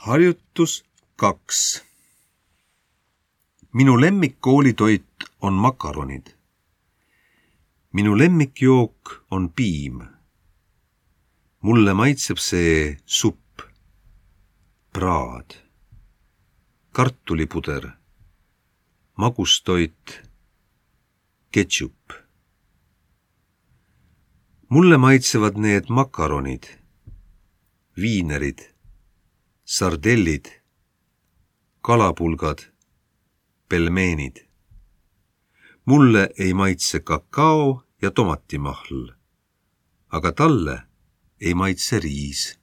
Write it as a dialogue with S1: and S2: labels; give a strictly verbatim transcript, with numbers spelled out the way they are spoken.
S1: Harjutus kaks. Minu lemmikkoolitoit on makaronid. Minu lemmikjook on piim. Mulle maitseb see supp, praad, kartulipuder, magustoit, ketšup. Mulle maitsevad need makaronid, viinerid, sardellid, kalapulgad, pelmeenid. Mulle ei maitse kakao ja tomatimahl, aga talle ei maitse riis.